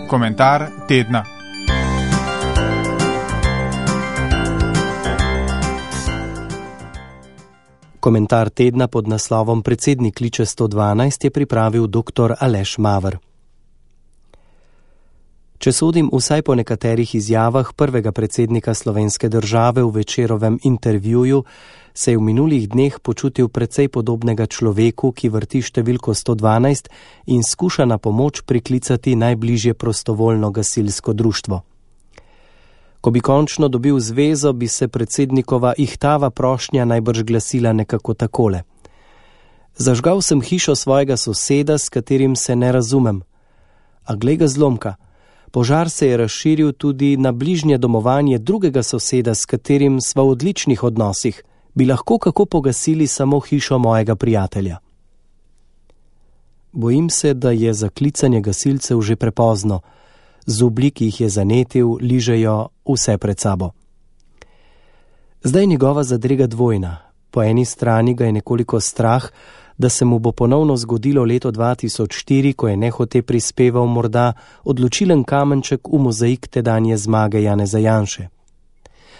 Komentar tedna. Komentar tedna pod naslovom Predsednik kliče 112 je pripravil dr. Aleš Maver. Če sodim vsaj po nekaterih izjavah prvega predsednika slovenske države v Večerovem intervjuju, se je v minulih dneh počutil precej podobnega človeku, ki vrti številko 112 in skuša na pomoč priklicati najbližje prostovoljno gasilsko društvo. Ko bi končno dobil zvezo, bi se predsednikova ihtava prošnja najbrž glasila nekako takole. Zažgal sem hišo svojega soseda, s katerim se ne razumem. A glej ga zlomka, požar se je razširil tudi na bližnje domovanje drugega soseda, s katerim sva v odličnih odnosih. Bi lahko kako pogasili samo hišo mojega prijatelja. Bojim se, da je za klicanje gasilcev že prepozno. Zublji, ki jih je zanetil, ližejo vse pred sabo. Zdaj njegova zadrega dvojna. Po eni strani ga je nekoliko strah, da se mu bo ponovno zgodilo leto 2004, ko je nehote prispeval morda odločilen kamenček v mozaik tedanje zmage Janeza Janše.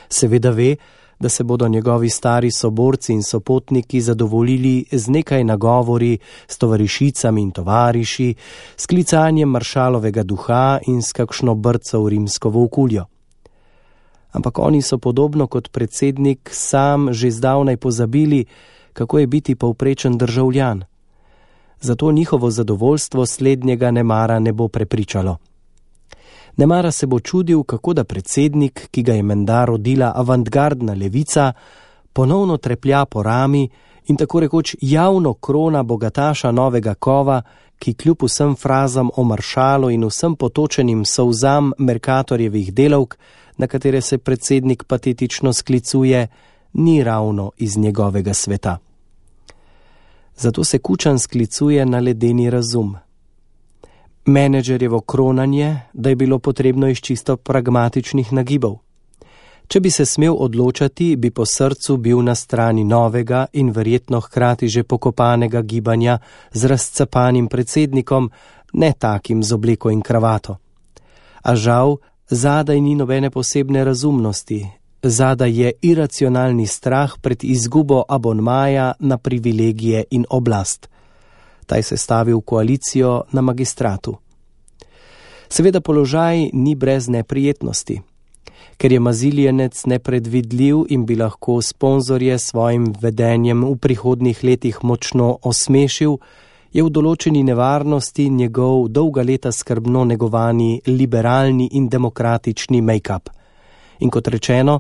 Seveda ve, da se bodo njegovi stari soborci in sopotniki zadovoljili z nekaj nagovori s tovarišicami in tovariši, s klicanjem maršalovega duha in s kakšno brco v rimsko volkuljo. Ampak oni so podobno kot predsednik sam že zdavnaj pozabili, kako je biti povprečen državljan. Zato njihovo zadovoljstvo slednjega nemara ne bo prepričalo. Nemara se bo čudil, kako da predsednik, ki ga je menda rodila avantgardna levica, ponovno treplja po rami in tako rekoč javno krona bogataša novega kova, ki kljub vsem frazam o maršalu in vsem potočenim solzam Mercatorjevih delavk, na katere se predsednik patetično sklicuje, ni ravno iz njegovega sveta. Zato se Kučan sklicuje na ledeni razum. Menedžerjevo kronanje, da je bilo potrebno iz čisto pragmatičnih nagibov. Če bi se smel odločati, bi po srcu bil na strani novega in verjetno hkrati že pokopanega gibanja z razcapanim predsednikom, ne takim z obleko in kravato. A žal, zadaj ni nobene posebne razumnosti, zadaj je iracionalni strah pred izgubo abonmaja na privilegije in oblast. Taj se stavi v koalicijo na magistratu. Seveda položaj ni brez neprijetnosti. Ker je maziljenec nepredvidljiv in bi lahko sponzorje svojim vedenjem v prihodnjih letih močno osmešil, je v določeni nevarnosti njegov dolga leta skrbno negovani liberalni in demokratični make-up. In kot rečeno,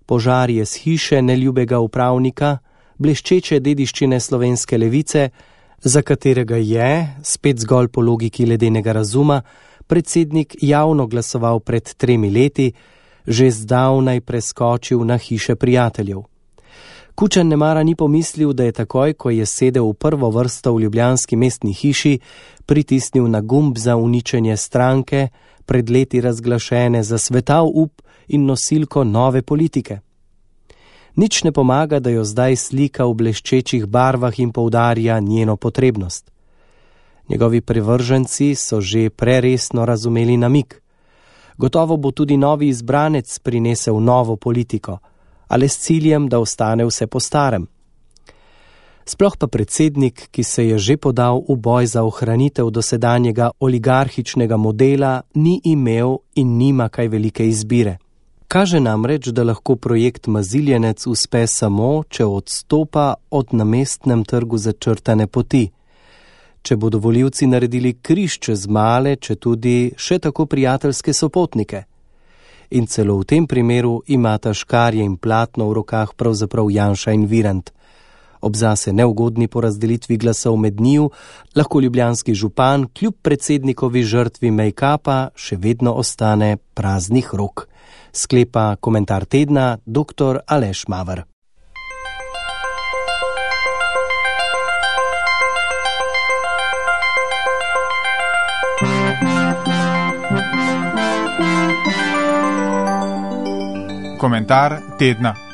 požar je z hiše neljubega upravnika, bleščeče dediščine slovenske levice, za katerega je, spet zgolj po logiki ledenega razuma, predsednik javno glasoval pred 3 leti, že zdavnaj preskočil na hiše prijateljev. Kučan nemara ni pomislil, da je takoj, ko je sedel v prvo vrsto v ljubljanski mestni hiši, pritisnil na gumb za uničenje stranke, pred leti razglašene za svetav up in nosilko nove politike. Nič ne pomaga, da jo zdaj slika v bleščečih barvah in poudarja njeno potrebnost. Njegovi privrženci so že preresno razumeli namig. Gotovo bo tudi novi izbranec prinesel novo politiko, ali s ciljem, da ostane vse po starem. Sploh pa predsednik, ki se je že podal v boj za ohranitev dosedanjega oligarhičnega modela, ni imel in nima kaj velike izbire. Kaže namreč, da lahko projekt maziljenec uspe samo, če odstopa od na mestnem trgu začrtane poti. Če bodo volivci naredili križ čez male, če tudi še tako prijateljske sopotnike. In celo v tem primeru imata škarje in platno v rokah pravzaprav Janša in Virant. Ob zase neugodni porazdelitvi glasov med njiju, lahko ljubljanski župan kljub predsednikovi žrtvi make-upa še vedno ostane praznih rok. Sklepa komentar tedna dr. Aleš Maver. Komentar tedna.